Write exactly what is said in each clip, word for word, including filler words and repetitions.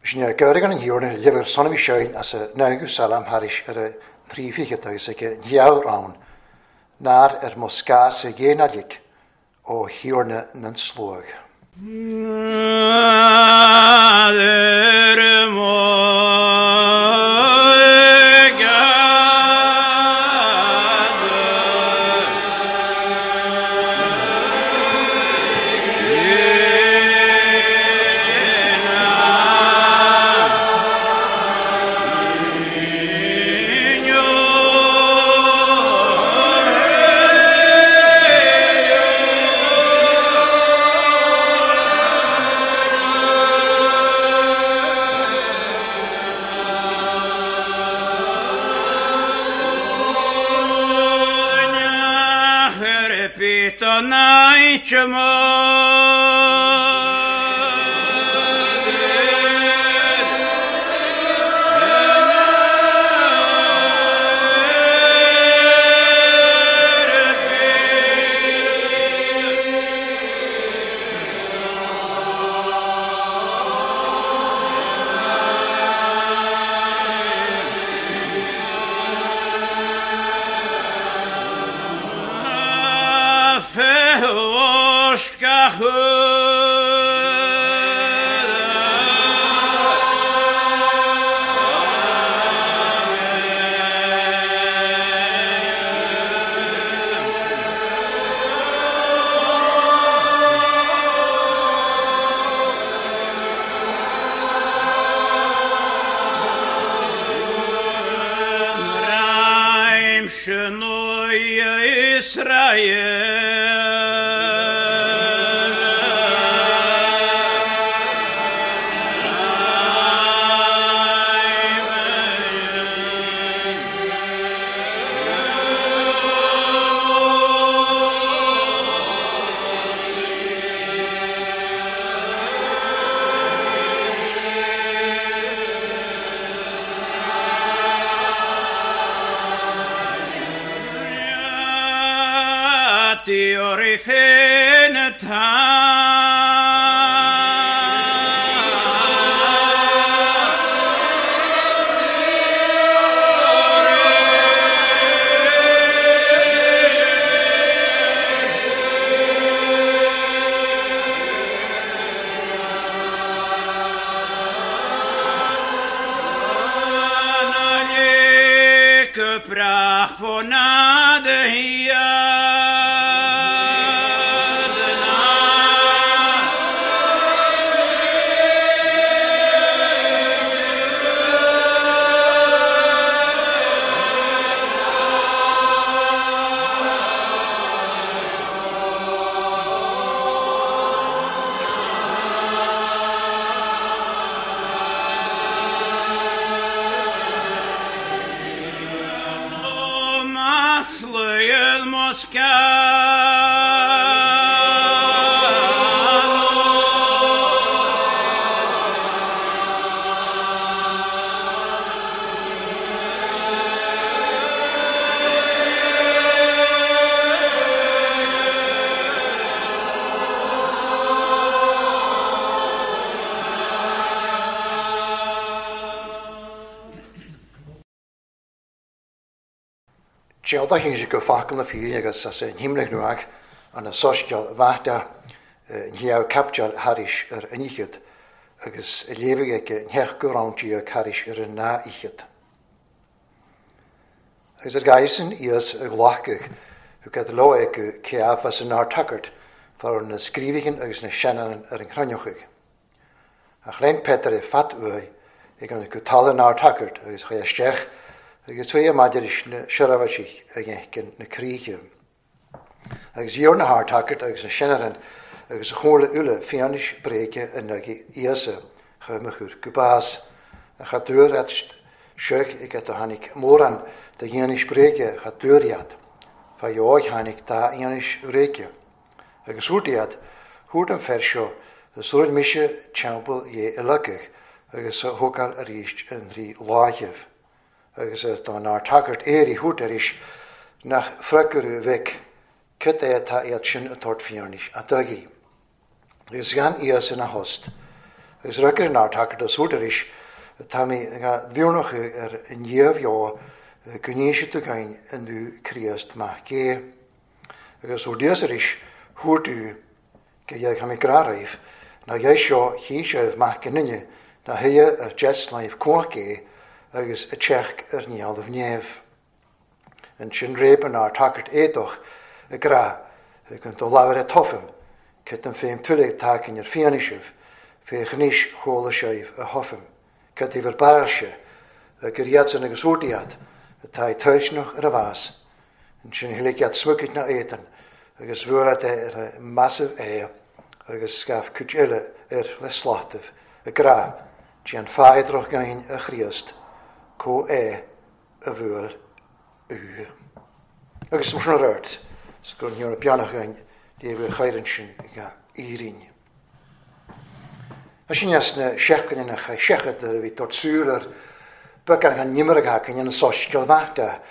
Sin geurig an hiorna lever sonmi sjöin as a naugu salam haris er a trí fichead agus ag nheabhar ann, nár ar mo scás a dhéanailig ó hiorna nan slóg. Tseolta go facal na fíine agus as an himnach nuach an soisceal bhata nhéamh capteal haris ar an ichid agus léifidh ag nheach go ráintí haris ar an ná ichid. Agus ar gaisin ias a ghlacach thug ad leo ag ceaf as an ár tagart far na scríbhigin agus na seanan ar an chrainneochaigh. A chlein Peter i fat uaidh ag an go tala an ár tagart agus chuir isteach agus tuí maidir na seirbhísigh a dhéanann na críche. Agus dhíor na hardtagart agus na seanaran agus a chomhairle uile fianaise bréige in aghaidh Íosa chomh mo chur go bás. A cha dúr iad seach ag a tháinig mórán de fhianaise bréige cha dúr iad. Fa dheoidh tháinig dá fhianaise bhréige. Agus thuairt iad, thuairt an fear seo, a súil mise teampall dhé i locach agus a thógáil arís an trí láithibh. Agus ar dá nár tagart éirí thuairt arís nach freagrú bheith cad é atá iad sin a tabhairt fianaise a dtugaí. Agus gan Íosa ina thost, Agus rugir an ardtagart a súirt arís tá mé ga bhúnach ar an dhéamheo go níise tú gain an dú Críost maith gé. Agus ó díos arís thuairtú go dhéag cha mé gráraibh na dhé seo chí sibh maith go nine na thuie ar deslaimh cuach gé agus a teach ar níalmh néamh. An sin réb an ardtagart éadach a gra ag do láhar a tofim, Cyd an féim tulig tacan ar fianaisibh, fé chníis chóla sibh a hofim. Cyd ifer baralse, a gur iadsan agus úrdiad, atá i tuisneach ar a bhás, an sin thulig iad smucid na éadan, agus bhuaile é ar a massive é, agus scaf cuid eile ar le slátaibh, a gra, tí an fáidroch gain a Chríost, có é a bhuail ú. Agus mar sin ar ort, gur ní beannach gain déh chairan sin ga éirín. A sin as na seachain na cha seachad a bhí tortsúil ar becan an nimar can an soisceal bhata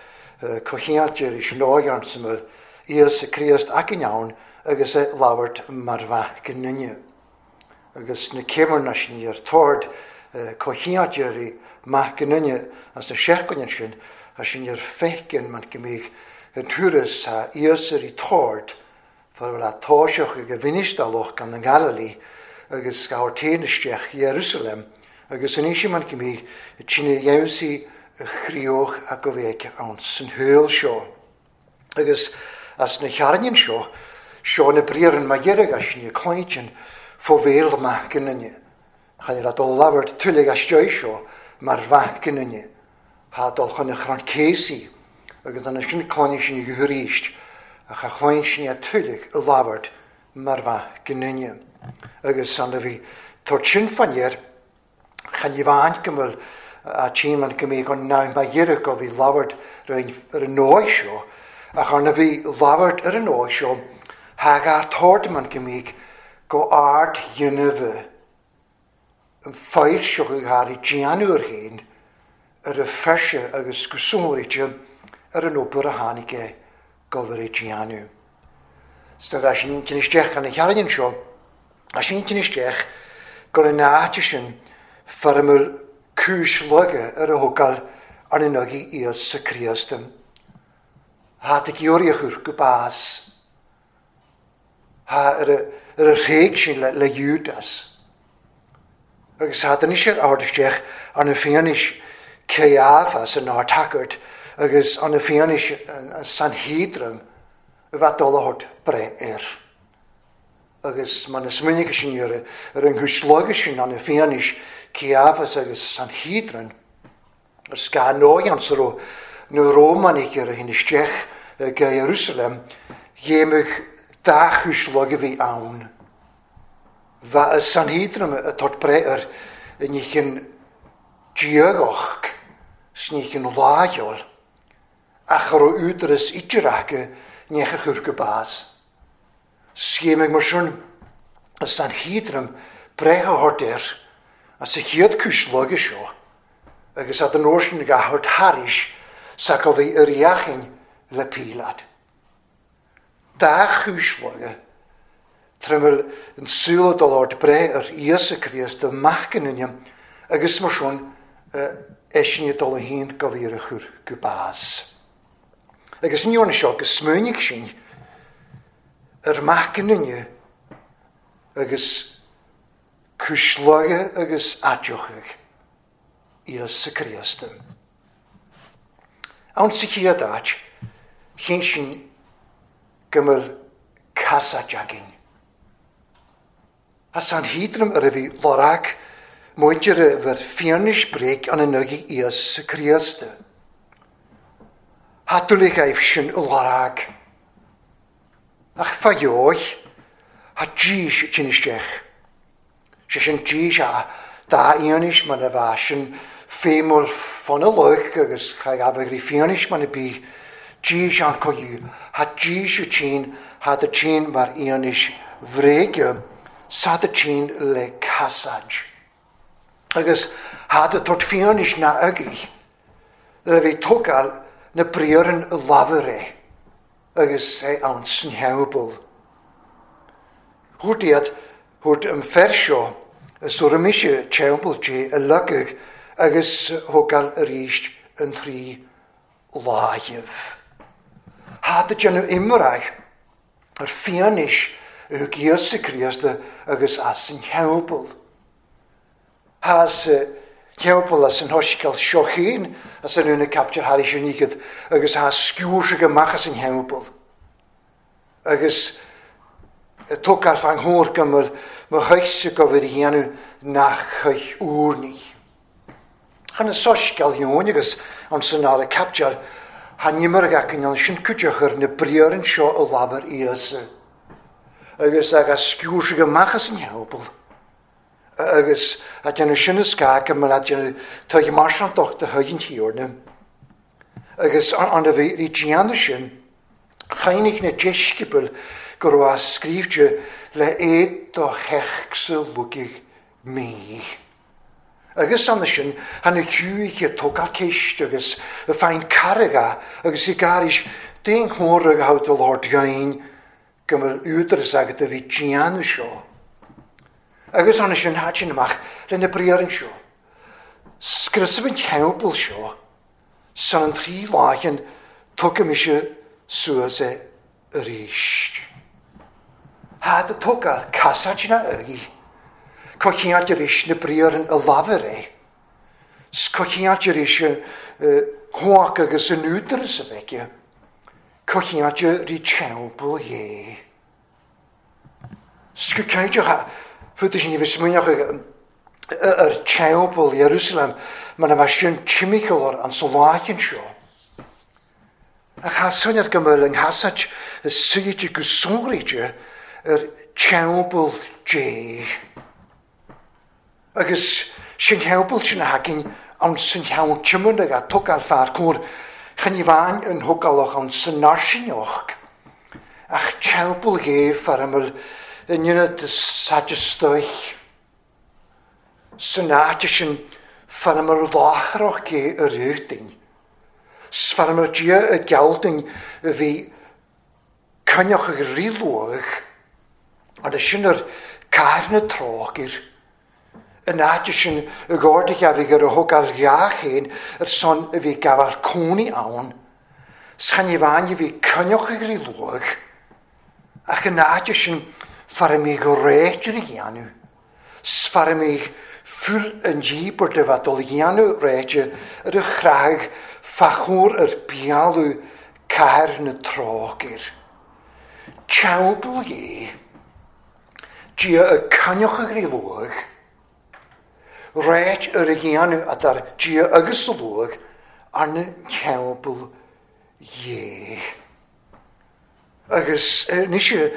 cohéidir is nóigean samil Íosa Críost acan ann agus é labhairt mar bheith go nunne. Agus na céimearna sin ar tord cohéidir maith go nunne as na seachain sin a sin ar feiceann man go mbíodh an turas a Íosa i tord far bhfuil a táiseach ag a bhinistalach gan an Galilí agus gabhar téinisteach Jerusalem agus an éisi man go mbíodh tine dhéansaí a chríoch a go bhéice ann san thuil seo. Agus as na chearnain seo, seo na briaran ma dheirg as sin cloitin fó bhéal maith go nunne. Chan ar a dul labhairt tulig as seo mar bheith go nunne. Ha dul chun na chrann césaí agus an sin cloiní sin go thuríist a cha chloin sin a tulig a labhairt mar bheith go nunne. Agus san a bhí tor sin fanéir chan i bhaint go bhfuil a tí man go mbíodh an ná ba dheirg go bhí labhairt ar an nóigh seo, ach arna bhí labhairt ar an nóigh seo, ha ga tord man go mbíodh go ard dhéanamh an foilseach go gharí déanúir féin ar a feise agus go sonraíte ar an obair a tháinig é go bhfuil é déanamh. Star a sin tin isteach an chearnain seo, a sin tin isteach gur an áite sin fearmúil cúis loga ar a thugáil ar an agaí Íosa Críost. Ha ag iúriachúr go bás. Ha ar a, ar a réig sin le, le Judas. Agus ha den isir ard isteach an na fianis Caiaphas an ardtagart agus an na fianis an Sanhedrin a bheith dul a thabhairt breith air. Agus man is smuinige sin ar ar an chúis sin an na fianis Caiaphas agus Sanhedrin ar sca nóigean sa raibh na Rómánaigh ar a hin isteach go Jerusalem dhéanamh dá chúis a bhí ann. Bheith a Sanhedrin a tabhairt breith air i níchin diagach sníchin lágheol ach a raibh údaras idir acu ní a chur go bás. Scéimh mar sin a Sanhedrin breith a thabhairt air as a chéad chúis loga seo agus ad an uair sin ga thabhairt thairis sa go bhí ar dheachain le Pílad. Dá chúis loga trimil an súla dul ort breith ar Íosa Críost a maith go nunne agus mar sin eisin dul a haon go bhí ar a chur go bás. Agus ní dhearna seo go smuinigh sin ar maith go nunne agus cúis loga agus aiteochaidh Íosa Críost. Ann sa chéad áit, chin sin go bhfuil casáid againn. A Sanhedrin ar a bhí lorg muintir a bhur fianaise bréag an an agaí Íosa Críost. Ha dúlaigh aibh sin i lorg. Ach fa dheoidh, ha dís sin isteach. Sé sin dís a dá fhianaise man a bheith sin féimúil fonna luch agus cha gabh rí fianaise man a bí dís an coiú. Ha dís a tín, ha da tín mar fhianaise bhréige, sa da tín le casáid. Agus ha da tort fianaise na agaí, le bhí tógáil na briaran a lámhair é, agus é ann san theampall. Thuairt iad, thuairt an fer seo Sura mise teampall Dé a leagadh agus thógáil arís an trí láimh. Thá ag déanamh iomráidh ar fianaise a thug Íosa Críost agus as an theampall. Thá sa theampall as an shoiscéal seo féin as an úna captear thairis an oíche agus thá sciúrsaigh amach as an theampall. Agus tógáil fan chóir go bhfuil mo thuigse go bhfuil a dhéanamh nach chuig úrnaí. Chan an soiscéal Eoin agus an san ára captear thá n-imearg acu an sin cuideachar na briathra seo a labhair Íosa. Agus agus sciúrsaigh amach as an theampall. Agus a déanamh sin is gá go mbeadh a déanamh tuig marsantacht a thuig an Tiarna. Agus an a bhí rí déanamh sin, chaoinigh na deisceabail go raibh a scríobhte le éad do theach sa lugaigh mí. Agus anna sin, thána chuaigh tógáil ceist agus a fein carraige agus i gairis d'aon chomhair a thabhairt do Lord Gain go mbeadh údaras agat a bhí déanamh seo. Agus anna sin thait sin amach lena briathra seo. Scriosadh an teampall seo, san an trí láicheann tugadh mise suas é arís. Thá do tógáil casáid na uirthi, cocheáilt arís na briathra a labhair é. 'S cocheáilt arís chumhacht agus an údaras a bheith, cocheáilt rí teampall dhé. 'S go cinnte fút sin bhí smaoineach ar teampall Jerusalem mar a bheith sin timpeall an soláicheann seo. Ach thá soinéir go mbeadh an chasáid suite go sonraíte ar teampall Dé. Agus sin theampall sin a thagann ann san cheann tiomána a tógáil fear cóir chan i bhfáin an thógálach ann san náisiúnach. Ach teampall Dhé fear a mbeadh in ionad satisfaidh. San áit sin fear a mbeadh láithreach Dé a rith. 'S fear a mbeadh Dia a ghealltainn a bhí coinneach ag ríluach agus sin ar cathair na trócaire. An áit sin i gcóir a bhí ar a thógáil dhá chéin ar son a bhí gabháil cónaí ann. 'S chan i bhfáin a bhí coinneach ag ríluach. Ach an áit sin fear a mbeadh réitear a dhéanamh. 'S fear a mbeadh fuil an díobairt a bheith dul a dhéanamh réite ar a chreag fachúr ar bealú cathair na trócaire. Teampall Dhé, Dia a coinneach ag ríluach, réit ar a dhéanamh a dar Dia agus a luach arna teampall Dhé. Agus anois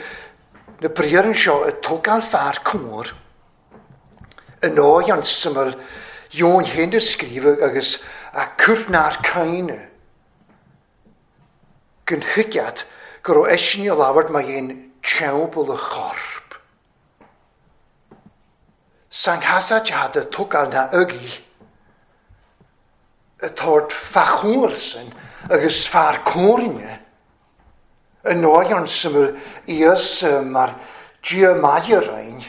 na briathra seo a tógáil fear cóir, an áit an suimil Eoin féin a scríobhadh agus a cur nár caoineadh. Gon thuigead go raibh eisean a labhairt mar dhéan teampall a chorp. San chasáid a tógáil na ugaí, a tabhairt fachúr sin agus fear cóirne, an áit an suimil Íosa mar Dia maille roinn,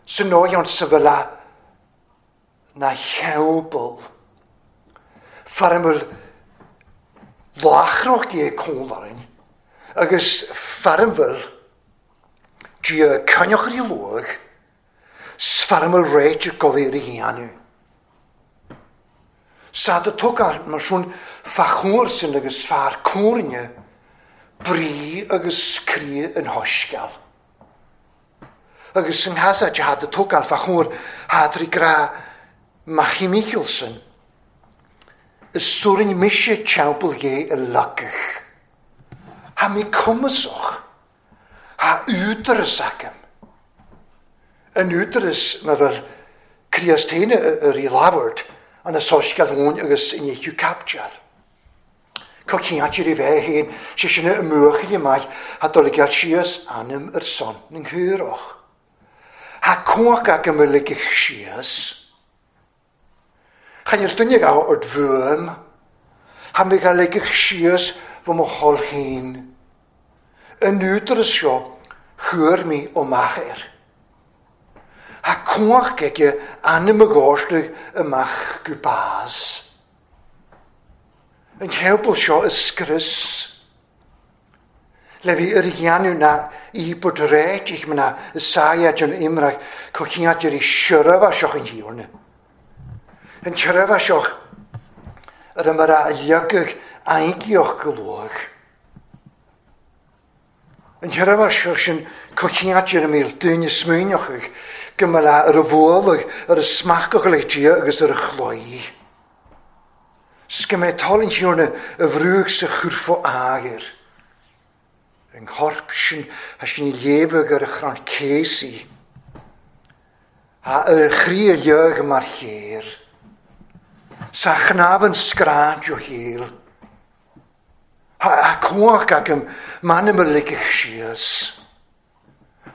san áit an suimil a na theampall. Fear a mbeadh láithreach Dé cónarainn, agus fear a mbeadh Dia coinneach rí luach, 's fear a mbeadh réiteach go bhféar a dhéanamh. Sa do tógáil mar sin fachúr sin agus fear cóirne, brí agus croí an shoiscéal. Agus san chasáid a do tógáil fachúr thá trí grá Machaí Michelson, is suarin mise teampall Dhé a leagadh. Thá mé cumasach, thá údaras agam. An údaras mar bheadh Críost féin ar í labhairt an a soiscéal Eoin agus in deichiú captear. Cá ceantar i bheith féin, sé sin a mbuachaille maith thá dul ag gabháil síos ainm ar son na gCuarach. Thá cumhacht agam a ligeadh síos. Chan fhuil duine ag ort bhuaim. Thá mé ag ligeadh síos bho mo thoil féin. An údaras seo chuir mé amach air. Ha cwach aige ainm a ghóisteach amach go bás. An teampall seo is scrios. Le bhí ar dhéanamh na íobairt réitigh mná is sáiad an imreach go chineáil ar seirbhe seo an tíorna. An tseirbhe seo ar a mar a leagadh aingeach go luath. An tseirbhe seo sin go chineáil ar a míl duine smaoineochaidh go mba le ar a bhualadh ar a smachach le Dia agus ar a chloí. 'S go mbeidh toil an Tiarna a bhrúdh sa churfá agair. An chorp sin a sin léamhadh ar a chrann céasaí. A ar a chroí a leag mar chéir. Sa chnámh scráid ó chéil. A cumhacht agam m'anam a ligeadh síos.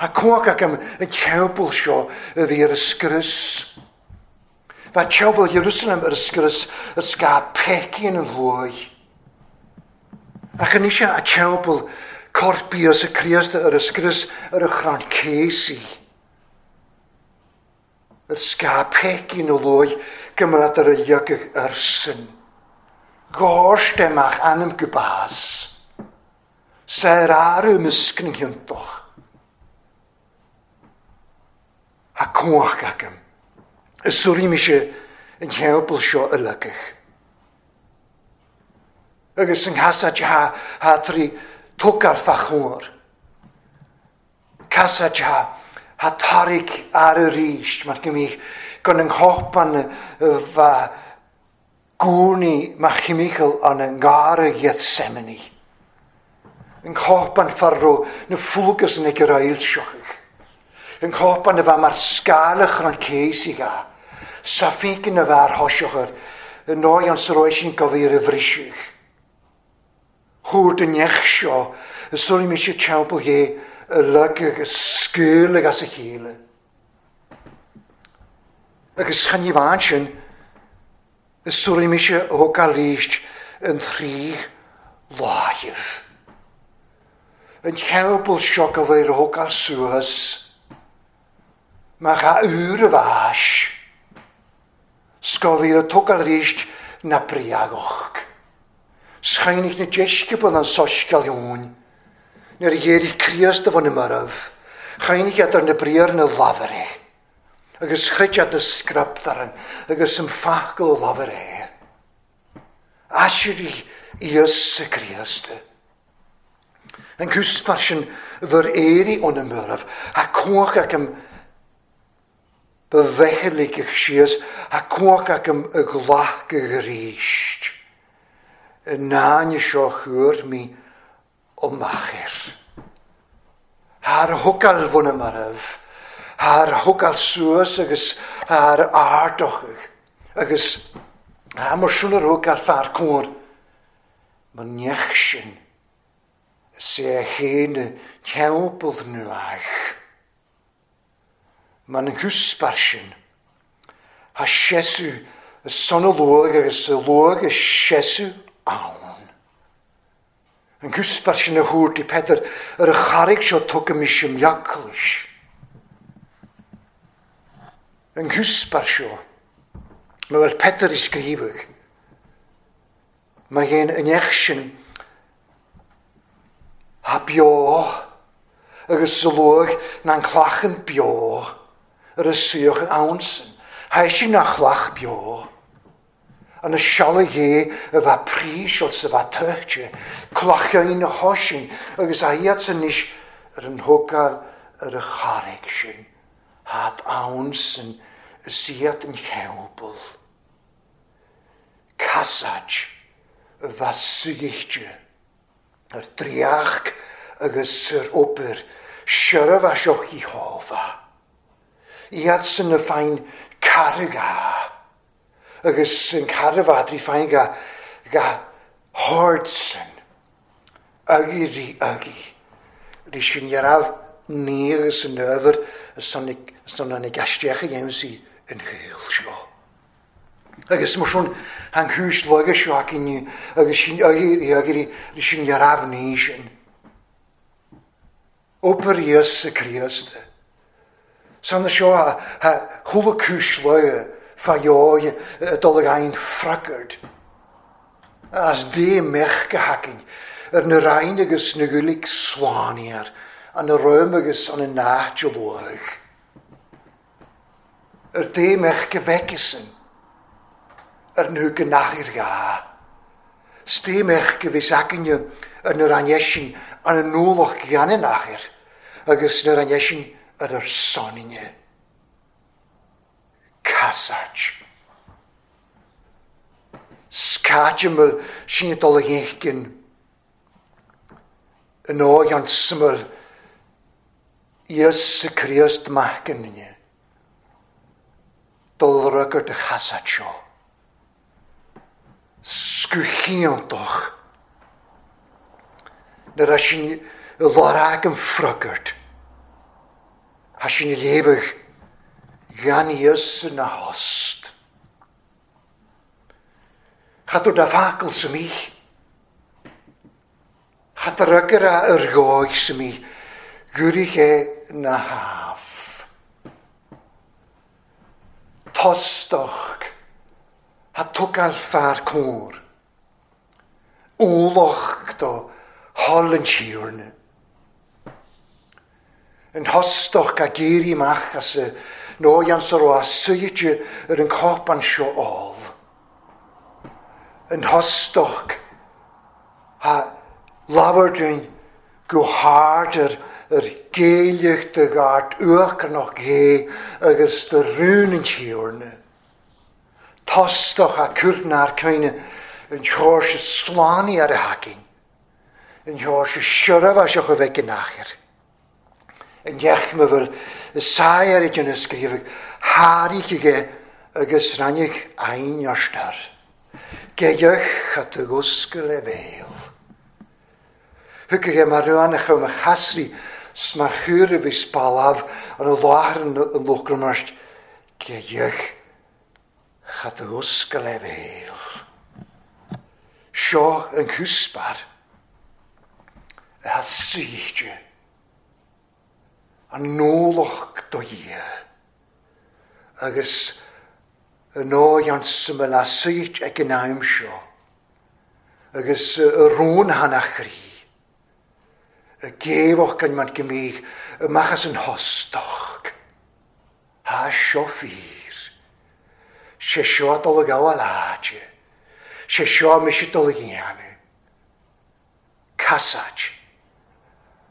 A cumhacht agam an teampall seo a bhí ar a scrios. Bha teampall Jerusalem ar a scrios ar scáth peicín an bhuaidh. Ach anois a teampall corp Íosa Críost ar a scrios ar a chrann céasaí. Ar scáth peicín an luaidh go mbeadh ar a leagadh arsan. Gáirst amach ainm go bás. Saor arú miscna thionntach. Ha cumhacht agam. Is suirí mise an teampall seo a leagadh. Agus an chasaid ha ha trí tógáil fá chóir. Casaid ha ha tarraig ar arís mar go mbíodh gan an chópan bha gúnaí mar chimical an an ngarra Gethsemane. An chópan farró na fulgas na gerailseochaidh. An chópan a bheith mar scálach an céasaí ga. Sa fícin a bheith ar thoiseachar yn nói an srói sin go bhí ar a bhriseadh. Chuaird an neach seo is suirí mise teampall dhé a leagadh agus scaoileadh as a chéile. Agus chan ní bhain sin is suirí mise a thógáil arís an trí láimh. An teampall seo go bhí ar a thógáil suas mar a uair a bhais. 'S go bhí ar a tógáil arís na bréagach. Schainich na deisceabal an soiscéal Eoin, nuair a dhéirigh Críost a bhun na marbh, chainich iad ar na briathra na labhair é, agus chreid iad na scrioptúir agus an focal a labhair é. Aisirigh Íosa Críost. An cúspar sin bhur éirí ó na marbh, a cumhacht agam ba bheitheligeach síos, a cumhacht agam a ghlacadh arís. Yn náine seo chuir mí ó machair. Thar thugáil bhun na marbh, thar thugáil suas agus thar ardochadh, agus thar mar sin ar thugáil fear cóir, mar neach sin, is é a chéine teampall nuach. Mar an cúspar sin, ha sesu y son y luag agus y luag y sesu ann. An cúspar sin a thuaird i Peter ar a charraig seo tugadh mis im eaglais. An cúspar seo, mar bhfuil Peter i scríobhadh, mar dhéan an neach sin ha beo agus sa luag na an clachan beo ar a suíoch an ann sin. Ha sin na chlach beo. An y sialig é a bheith príseal sa bheith tuirte, clachain na thoisin agus a iad san níos ar an thógáil ar a charraig sin. Hát ann sin is iad an cheabal. Casaid a bheith suíte ar dríoch agus ar obair seirbhe seo Iehova. Iad san na féin carraig a agus an carabha trí féin ga ga hard sin agi rí agi rí sin dhearabh ní agus an ábhar son an gaisteach a dhéanamh sí an shaol seo. Agus mar sin an chúis laga seo acu inniu agus sin agi rí agi rí sin dhearabh ní sin. Obair Íosa Críost. San seo ha chuile cúis loige fa dheoidh dul ag aon freagairt. As dé mech go hacainn ar na rainn agus na gcuilig slánaíar, an na roim agus an na náit luath. Ar dé mech go bhfeiceasan, ar na go nachir gá. Sté mech go bhís acainne ar na rainn an na nualach gheanna nachir, agus na rainn ar ar soninne. Casait. Scaidimil sin dul a dhéanann an óighean smail Íosa Críost macainne dul rugart a chasat seo. Scuchíontach na ra sin lorag an frugart. Ha sin léifeadh gan Íosa na host. Chat da facal sa mich. Chat rugger a yr goig sa mi. Gwrych e na haf. Tostoch. Ha twgal far cwr. Wloch do hol yn siwrn. Yn hostoch a geiri mach as y noian saro a sydd yr yn copan sio ôl. Yn hostoch ha lafardyn go hard yr, yr geiliach dy gart uach noch ge agus dy rún yn siwrn. Tostoch a cwrna'r caine yn siwrs y slani ar y hacin. Yn siwrs y siwraf a siwch o fec yn achir. Yn dech ma fel y sair ar ydyn ysgrifig harig ige agus rannig ein arstar. Geiach at y gwsgl e fel. Hwg mar rwan a chwm a chasri smar chwr y fi spalaf an y lawr yn y lwgrymast. Geiach at y gwsgl e fel. Sio yn cwsbar y ha sydje an nólach do ie agus y nóian syml a syd ag yn aim sio agus y rŵn hanach ri y gefoch gan man gymig y machas yn hostoch ha sio ffyr se sio dol y gael aladje se sio mis dol y giannu casaj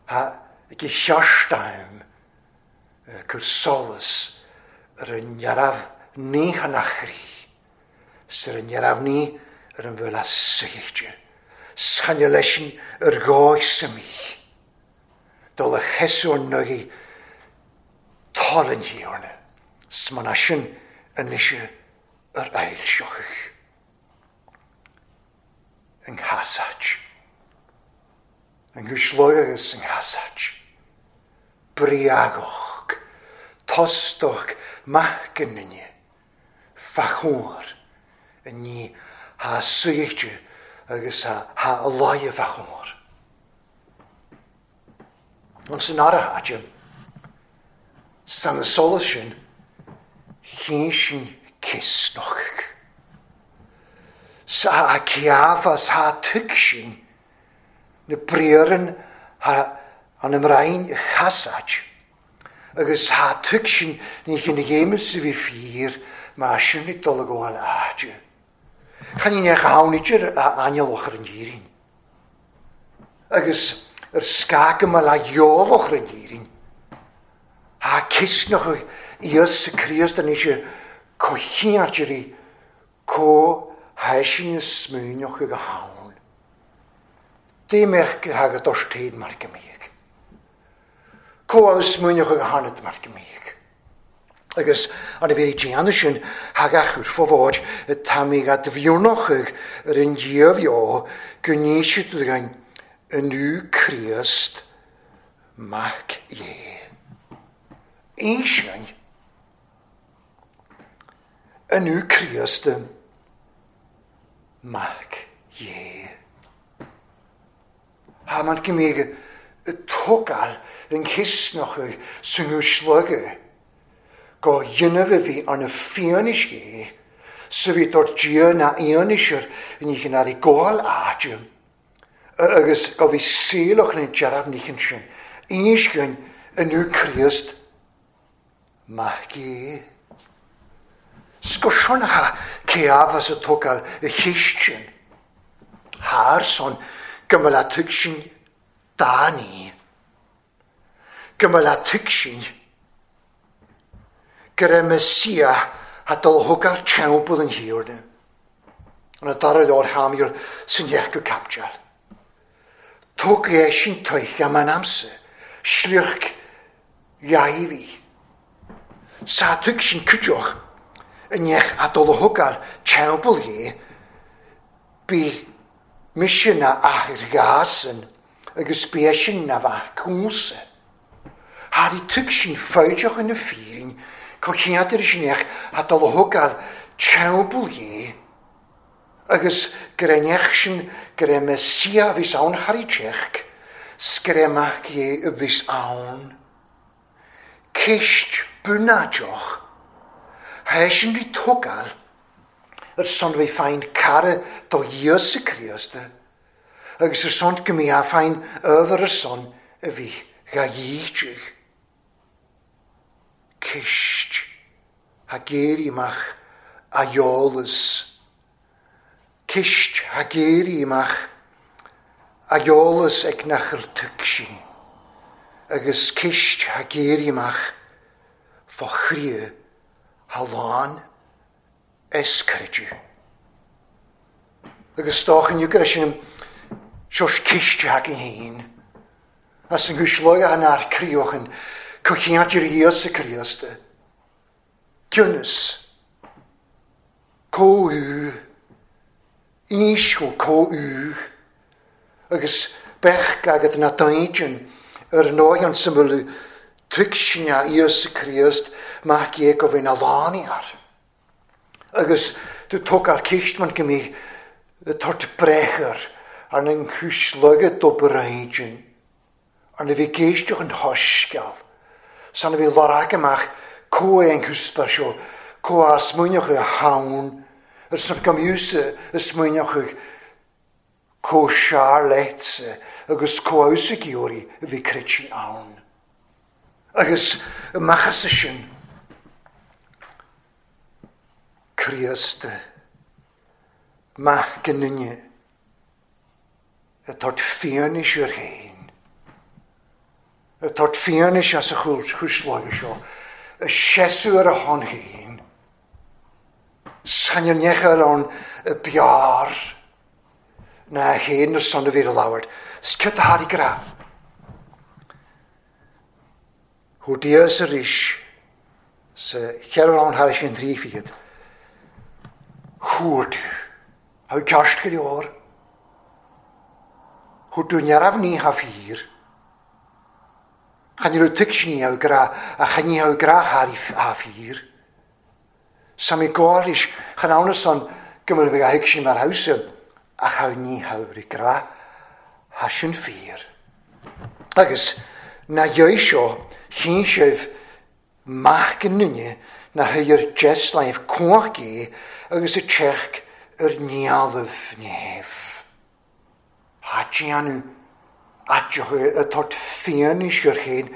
ha ag i siarstaim cwr solus yr yn yaraf ni hanachri, sy'r yn yaraf ni yr yn fel a seidio. Schan lesin yr goes y mi. Dol y chesw nygi tol yn hiwrna. Sman asyn yn eisiau yr ail sioch. Yng nghasaj. Yng nghwslog agus yng nghasaj. Briagoch. Tostoch macynnyni. Fachwr yn ni ha seidio agus ha, ha lai fachwr. Ond sy'n ara adjum, san y solas sin, chyn sin cysnoch. Sa a ciafas ha tyg sin, na briaren ha an ymraen chasaj, agus ha tyg sin ni chyn ghemus i fi ffyr, ma sin i dol y gwael adjum. Chan i'n eich hawn idir a aniel ochr yn ddirin. Agus yr sgag yma la iol ochr yn ddirin. A cysnoch Iesu Christ yn eisiau cochi'n argeri co haesin y smwynioch ag hawn. Dim eich hag y dos teid mar gymig. Co a smwynioch ag hanad mar gymig. Agus an y fi dianw sin hag ach wrth fod y tamig a dfiwnoch yr yn diofio gwneud gan yn yw Christ mac ie. Eisiau yn yw Christ mac ie. Ha ma'n gymig y togal yn cysnoch sy'n yw slygau. go dhéanamh a bhí arna fianaise sa bhí dort Dia na fhianaise in íchin ar i gcóil áite agus go bhí saolach na dearmh níchin sin íscin inniu Críost maith gé. Scoshoncha Caiaphas a tógáil a cheist sin. Thar son go mba le tuig sin dá ní. Go mba le tuig sin go raibh Messia a dul thógáil teampall an Thiarna. An a dara leor Shamael san dheich go caipiteal. Tóg é sin tuig am an amsa, sliocht Dháiví. Sa tuig sin cuideach i ndeich a dul a thógáil teampall dhé, bí mise na athair ghásan agus bí sin na bheith cúnsa. Thar i tuig sin fáideach ina fírin, go cheantar sin eich a dul a thógáil teampall dhé, agus go raibh neach sin go raibh Messia a bhís ann thar i teach, 's go raibh mac dhé a bhís ann. Ceist bunáideach, tha sin rí tógáil ar son bhí féin cara do Íosa Críosta, agus ar son go mbí a féin ábhar ar son a bhí dhá dhíteach. Ceist tha géirí amach a eolas. Ceist tha géirí amach a eolas ag nachar tuig sin, agus ceist tha géirí amach fá chroí tha lán is creideamh. Agus dócha inniu go raibh sin seos ceist againn féin, as an gcuisleog an ár críochan, cocheantar Íosa Críosta. Ciúnas, comhú, ísco comhú, agus bheadh agat na daingean ar ndóigh an samhladh tuig sin a Íosa Críost mac é go bhí na lánaí air. Agus tú tógáil ceist man go mbí tort breithair ar an gcuisleoga d'obair ar na bhí géisteach an thoisceal, san a bhí lorg amach comh é an cúspar seo, comh a smaoineach a haon, ar son go mbíúsa a smaoineach comh sear leitse agus comh fheabhsa geoirí a bhí creidte ann. Agus amach as sin, Críost, maith go nduine, a tort fianaise ar féin, a tort fianaise as a chúisleoga seo, a seasú ar a shon féin, Sainir nechail ann a beár na chéad ar son a bhí a labhairt, 's ciotta thar i gra. Thú Dias arís sa cheithre ann thar sin trí fichead. Thuair tú, thá ceist go leor. Thuair tú neamh ní tha fíor. Chan raibh tuig sin ní gra a chan ní gra thar a fíor. Sa mí gáiris chan ann son go bhfuil bheith a thuig sin mar hausa a cha ní ri gra tha sin fíor. Agus na dheis seo chinn sibh maith go nduine na thuir deslaimh cumhach é agus a teach ar neamh neamh. Tha déanamh áiteach a tort fianaise ar féin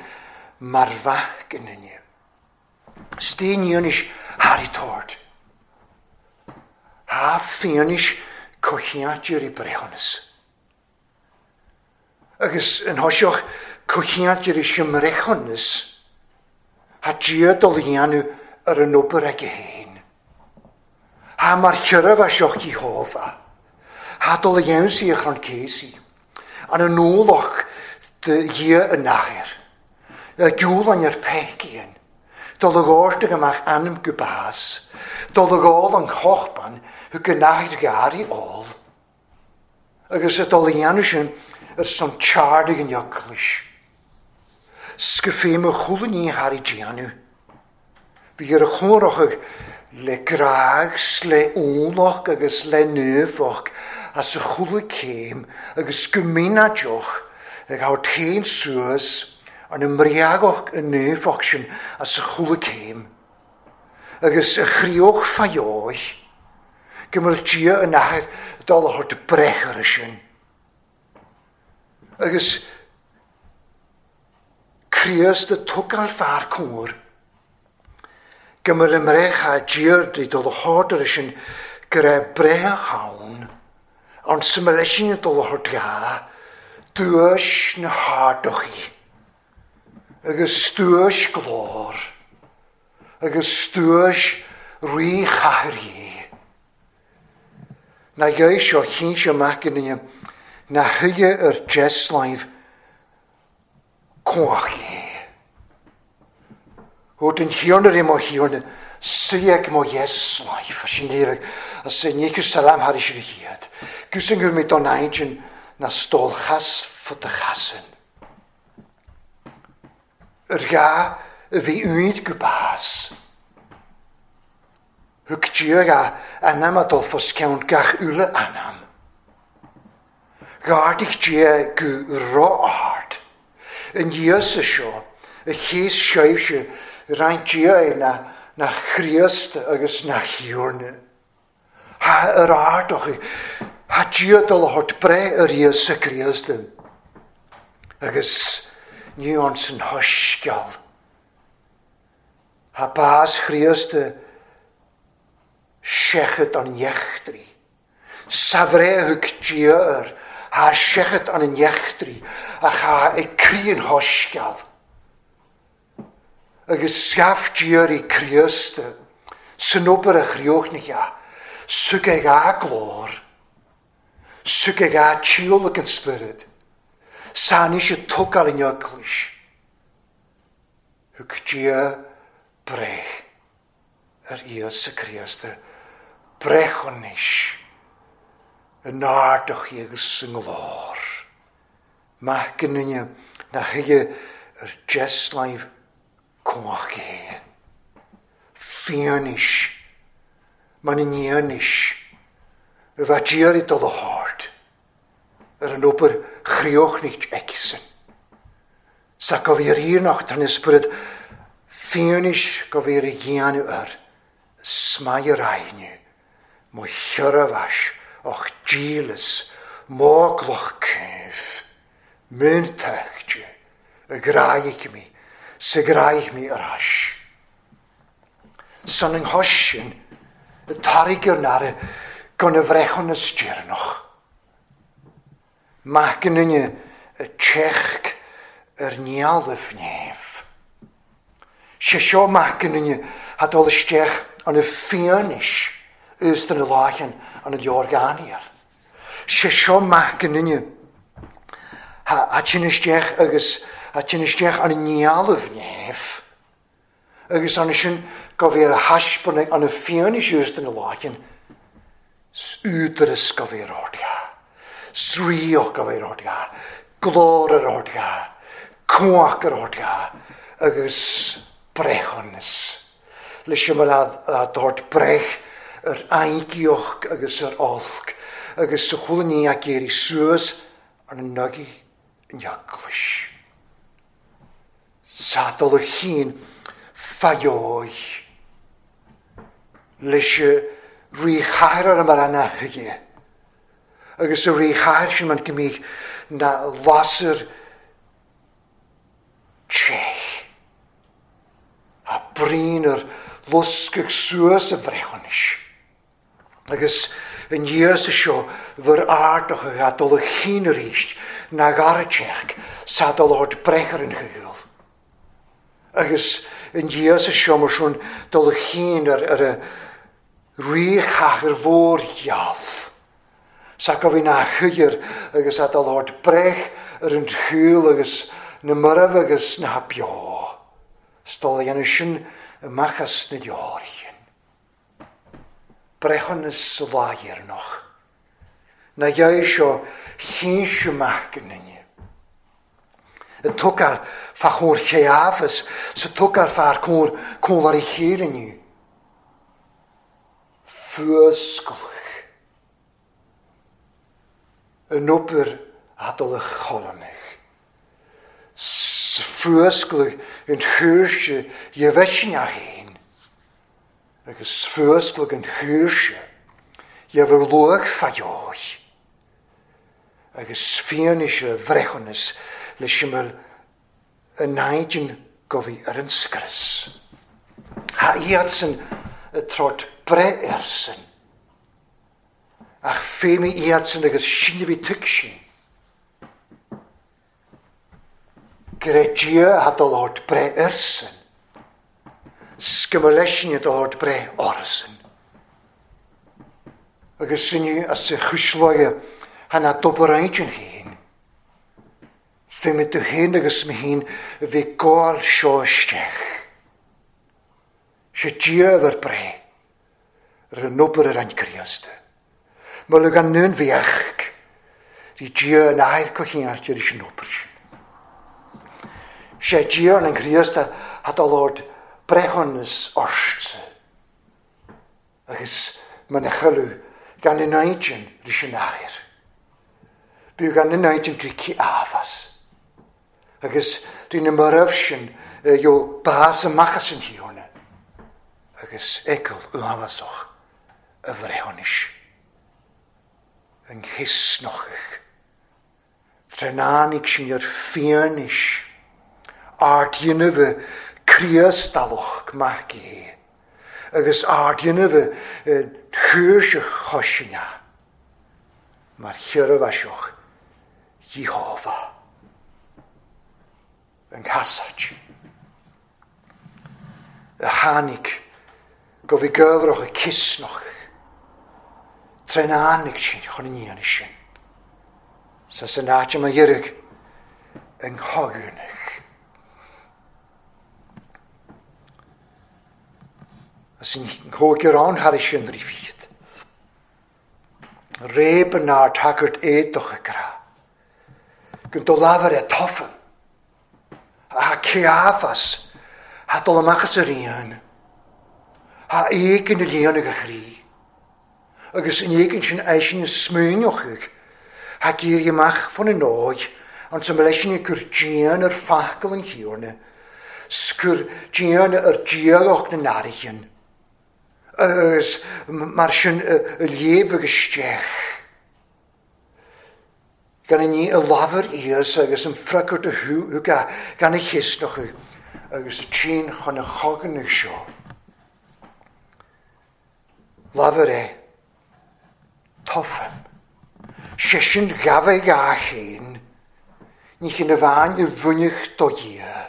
mar mhaith go nduine. Stéiníonis thar i tort. Tha fianaise cocheantar i breithiúnas. Agus an thoiseach cocheantar i simbreithiúnas, tha Dia dul a dhéanamh ar an obair aige féin. Tha mar churabh seo Jehovah. Tha dul a dhéanamh sí a chrann céasaí. An an ualach de Dhia an athair. A giúlan ar peicíonn. Dul a gáiste go amach ainm go bás. Dul a gáil an chochban thug an athair ghearraí ól. Agus a dul a dhéanamh sin ar son teardaigh an eaglais. 's go féim a chúla ní thar i déanamh. Bhí ar a chomhrachadh le grág 's le ualach agus le nuafach as a chúla céim agus go mínáideach ag thabhairt féin suas ar na mbriagach an nuafach sin as a chúla céim. agus a chríoch faioich, go mbeadh Dia an Athair dul a thabhairt breith air sin. Agus Críost a tógáil fear cóir, go mbeadh an mbreith a Dia dul a thabhairt air sin go raibh breith ann, an simulation dul a thabhairt dhá, duais na hardochaí, agus duais glór, agus duais rí chathair. Na gheibh seo chinnte amach inniu na chuige ar deslaimh cumhacht. Ó den thiarna i mo thiarna, suíodh mo dheslaimh, sin léirigh, as é níochar salam thar is ar a chéad. Gus an gur mé don aintinn na stól chas fud a chasan. Ar gá a bhí uaid go bás. Thug Dia a anam a dul fos ceann gach uile anam. Ghardaigh Dia go ró-ard. An Íosa seo, a chéas seibhse, roinnt Dia é na, na Chríost agus na Thiarna. Ha ar ardochaí, ha Dia dul a thabhairt breith ar Íosa Críost. Agus ní an san thoisceal. Ha bás Chríost seachat an neachtraí. Sa bhreith thug Dia air, ha seachat an neachtraí, ach ha ag croí an thoisceal. Agus scaif Dia i Críost, san obair a chríochnaithe, sug ag a glór, sug ag a tíolach an spiorad, san is a tógáil in eaglais. Thug Dia breith ar Íosa Críost, breith anois, yn ardoch agus yng nglór. Maith gynnyne na chuige ar deslaimh cumhacht é. Fianaise, man in fhianaise, a bheith Dia i dul a thabhairt ar an obair chríochnaithe aici-san. Sa go bhí ar iarnacht an ysbryd fianaise go bhí ar a dhéanamh air, smaidh ar aithne, mo chiorramhais och dílis, móglach céimh, múntachte, a gráigh mi, sa gráigh mi ar ais. San an chois sin, y tairg ar nare, gan y bhreithúnas deireanach. Maith gynnyne y teach ar neamh neamh. Sé seo maith gynnyne ha dul isteach an y fianaise is den láchan an y leor Daniel. Sé seo maith gynnyne ha tsin isteach agus ha tsin isteach an neamh neamh. Agus an sin go bhí ar a thaispeáin an y fianaise is den láchan údaras go bhí ar ordia. Sríoch go bhí ar ordia. Glór ar ordia. Cumhacht ar ordia. Agus breithiúnas. Leis sin a dúirt breith ar aingeoch agus ar olc, agus sa chuala ní a géirí suas ar na nugaí in eaglais. Sa dul a chinn faioich. Leis rí chathair ar an mar na chuige. Agus a rí chathair sin man go mbíodh na lasair teich. A bríon ar luscach suas a bhreithiúnais. Agus an Íosa seo bhur ardach a dul a chinn arís na gara teach sa dul a thabhairt breith ar an shaol. Agus an Íosa seo mar sin dul a chinn ar, ar a rí chathair mhór gheal. Sa go bhí na chuigear agus a dul a thabhairt breith ar an shaol agus na marbh agus na beo. Stol a dhéanamh sin amach as na deoraithe. Breithiúnas sa lá dheireanach. Na gheibh seo chinnte amach gynnyne. Y tógáil fa chóir cheafas, sa tógáil fear cóir cóir i chéile inniu. Fuasclach. An obair a dul a cholonach. Fuasclach an chúrse dhebheitneach féin. Agus fuascladh an shaoirse, dheamhan luach fá dheoidh. Agus fianaise bhreithiúnas leis an bhfuil an naidin go bhí ar an scrios. Ha iadsan y trot breith airsan. Ach féimi iadsan agus sinne bhí tuig sin. Gur é Dia a dul ort breith airsan. Sgymma leisin a dul ort breith orsan. Agus sinne as y chwysloia hana dobar aidyn hyn. Féimi du hyn agus mi hyn fi gôl sio isteach. Sé Dia efo'r bre ar yn ober yr ein Criosta. Mae lwg an nwn fiach. Ri Dia yn air cochiant i'r eisiau ober sin. Sé Dia yn ein Criosta had o lord brechonus orstse. Agus mae'n echylu gan yn aidyn rys yn air. Byw gan yn aidyn dwi ci afas. Agus dwi'n ymyraf sin yw bas ymachas yn hiwna. Agus egl uafasoch y frehonish. Yng nghisnochych. Trenanig sy'n yr ffianish. Ard ynnyfu criastalwch mag i. Agus ard ynnyfu chwrsych chosinna. Mae'r hirfasioch Jehofa. Yng nghasach. Y hanig go fi gyfroch y cysnoch. Trenanig sy'n chon yn un sin. Sa sy'n at yma irig yng nghogynach. A sy'n nghogir awn har eisiau yn rifid. Reb yn ar tagert edoch y gra. Gyn do lafar e toffan. A ceafas. Ha dol ymachas yr un. Ha egin y lion ag y chri. Agus yn egin sy'n eisiau yn smwynioch. Ha geir ymach ffon yn oed. Ond sy'n meleisiau yn gwr dian yr ffacl yn hiwrna. Sgwr dian yr dialoch yn arian. Agus mar sin y lief ag ystech. Gan ni y lafar ias agus yn ffragwrt y hw ga, gan y chysnoch agus y tîn chon y chogan y sio. Lafar e, toffam. Sesyn gafau ga chyn, ni chyn y fan y fwynych do ia.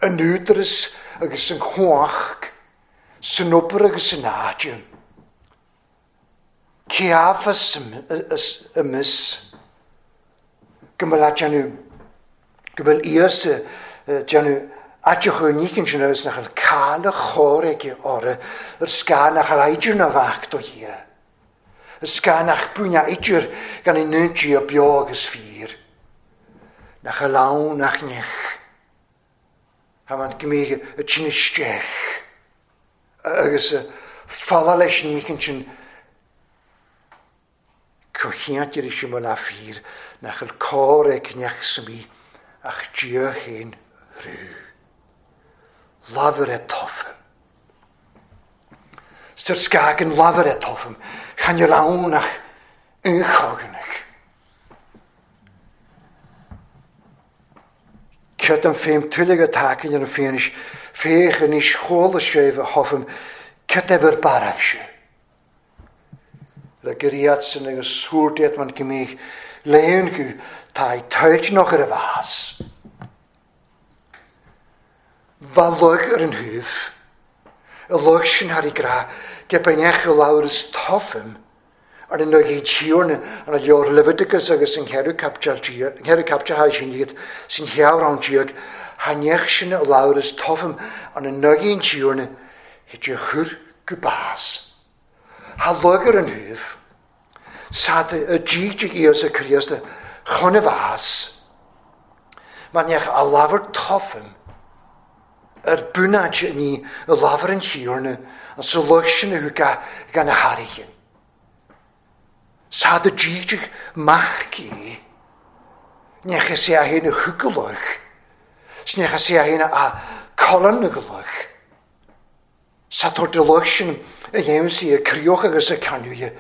Yn wdrys agus yn chwach, sy'n ober agus yn adjum. Ceafas ymys, gymel adjanw, gymel ias djanw adjach o'n nichin sy'n ys nach al cael y choreg i ore, yr sgan nach al aidir na fach do hia. Y sgan nach bwyn aidir gan ei nynti o bio agus ffyr. Nach al lawn nach nech. Ha ma'n gymig y tyn ystech. Agus y ffala leis nichin sy'n cochiant i'r eisiau mwyn a ffyr nach al coreg nech symi ach dia hyn rhyw. Lafar e toffam. Styr sgagen lafar e toffam. Chan i'r lawn ach ynchognach. Cyd am ffeim tulig y tacyn yn y ffeinish ffeich yn eich chôl y sef y hoffam cyd efo'r baraf si. Le gyriad sy'n agus sŵrdiad ma'n gymig leun gw tai teiltnoch ar y fas. Falwg ar yn hwf, y lwg sy'n har i gra, gebenech y lawr ys toffim, ar yn o'i tiwrn yn y lior Leviticus agus yn cerw captial captial har sy'n iad, sy'n hiawr awn tiag, hanech sy'n y lawr ys toffim, ar yn o'i tiwrn, hyd y chwr gwbas. Ha lwg ar yn hwf, sad y gig ios y crios y chon y fas, mae'n eich a lafar toffim, yr bwnad ni y lafar yn hiwrn, yn sylwg sy'n yw gan y harigyn. Sad y gig mach i, nech ys i a hyn y hwgylwch, nech ys i a hyn a colon y gylwch. Sa tor de lucht sin a dhéanamh sí a críoch agus a ceanúithe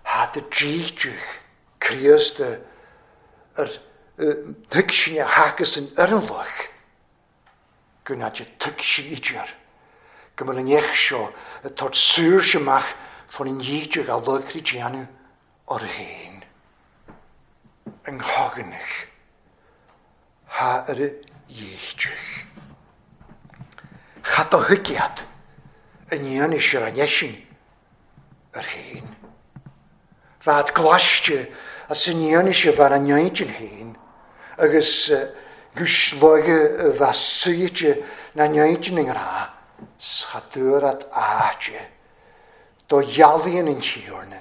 ha de dríteach Críost ar thuig sin a thacas an ar an luch go ná de tuig sin idir go bhfuil an neach seo ag tabhairt saoirse amach fan an dhíteach a luchrí déanamh ar féin. An choganach ha ar a dhíteach. Chat do thuigiad an dhéanamh sé an eisin ar féin. Bhead glaiste as an dhéanamh sé bheith an neintinn féin agus gus loige bheith suite na neintinn an rá schatúrat áite do dhealaíonn an tíorna,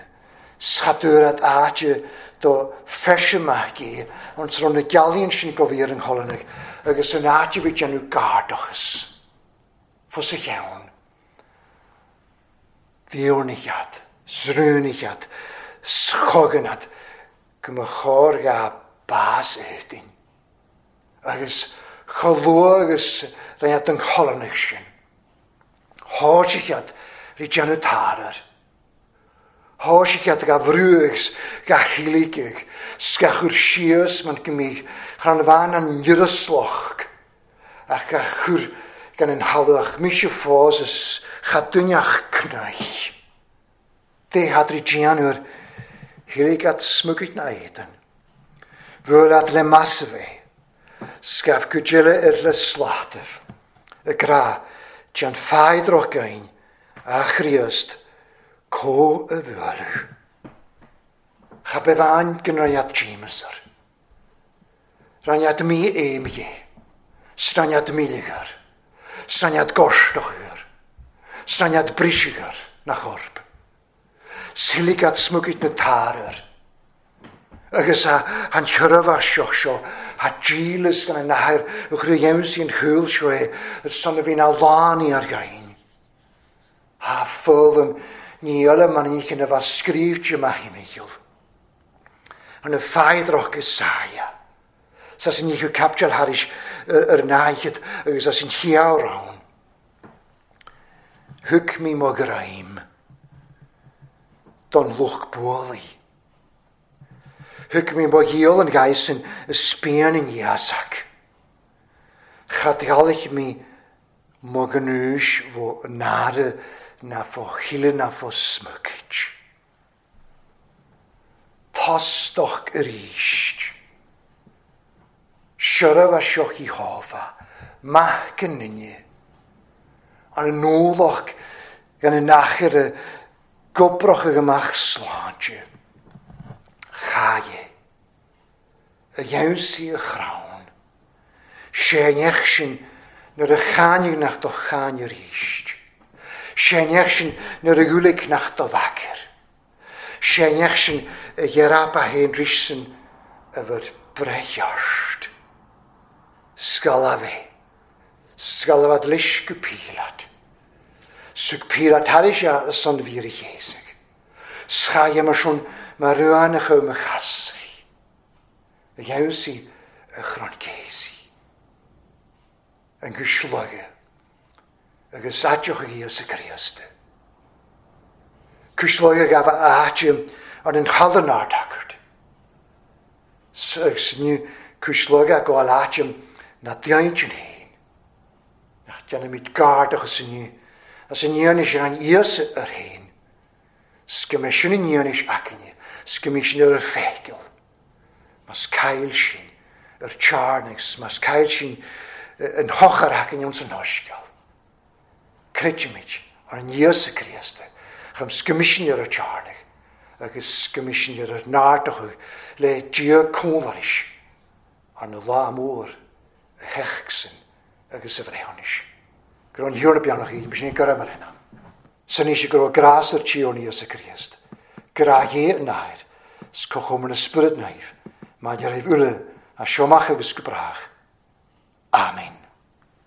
schatúrat áite do feiseamach é an trom na gealaíonn sin go bhí ar an cholanach agus an áite bhí déanamh gardachas fos a cheann. Bhíornichead, srúnichead, schoganad go mo chóir ga bás étain. Agus cholú agus rinnead an cholanach sin. Háisichead rí déanamh tarar. Háisichead ga bhrúgs ga chiligig, sga chur síos man go mí chan bhain an njursloch ach ga chur gan an halach mise fós is chadúneach cnaich. Dé had rí déanamh chilig at smugit na éadan. Bhuel at le massave, scaf go dile ar le slátaibh, y gra, dean ffaidroch gain, a chríost, có y bhualadh. Cha befan gan raniad Jameser. Raniad mi éimge, straniad miligar, straniad gorstochur, straniad brisigar na chorp. Siligat smugit na tarar. Agus a han chyrfa seo seo, ha dílas gan an nahair y chrwy iawns i'n chwyl seo e, yr son y fi'n alani ar gain. Ha ffylm ni yla man i chyn efo sgrifio ma hi meill. An y ffaidroch Isaia. Sa sy'n ni chw captial haris yr naihyd agus sa sy'n chiawr rawn. Hwg mi mo graim. Don lwch bwoli. Hwg mi mo hiol yn gais yn ysbian yn iasac. Chadgalich mi mo gnwys fo nare na fo chile na fo smycyd. Tostoch yr eist. Siaraf a sioch i hofa, mach yn nynnu. An y nôloch gan y nachir y gobroch ag ymach sláinte. Chaie, y iawnsi y chrawn, Séneach sin nuair a cháinig nach do cháin ar éist. Séneach sin nuair a ghulig nach do bhacair. Séneach sin a ghearapa héin rísan a bhur brecheart. Scaladh Scaladh leis go pílat. Sug pílat haris a son bhír a chéasach. Schaie mar sin mar ruánach ó mo chasraí. A gheabhsaí a chrann céasaí. An gcuisloige agus áiteach a Íosa Críosta. Cuisloige gabh a áite ar an chalann ardacart. Agus ní cuisloige go áite na déintinn féin. Nach déanaimid gardachas inniu as an dhéanamh sin an Íosa ar féin. 's go mbeidh sin an dhéanamh aicne, 's go mbeidh sin ar a feiceáil. Mas cail sin ar tearnais, mas cail sin an hochar aicne ons an osceal. Creidimid ar an Íosa Críosta, chum 's go mbeidh sin ar a tearnach, agus go mbeidh sin ar a nárdachadh le Dia cónaris ar na lá mór a theachsan agus a bhreithiúnais. Gur an thiúrna beannach í, b'sin é gur mar hena. San í go raibh grás ar tíorn Íosa Críost. Grá hé an nair, 's cochomar na spiorad naomh, maidir raibh uile a seomach agus go brách. Amen.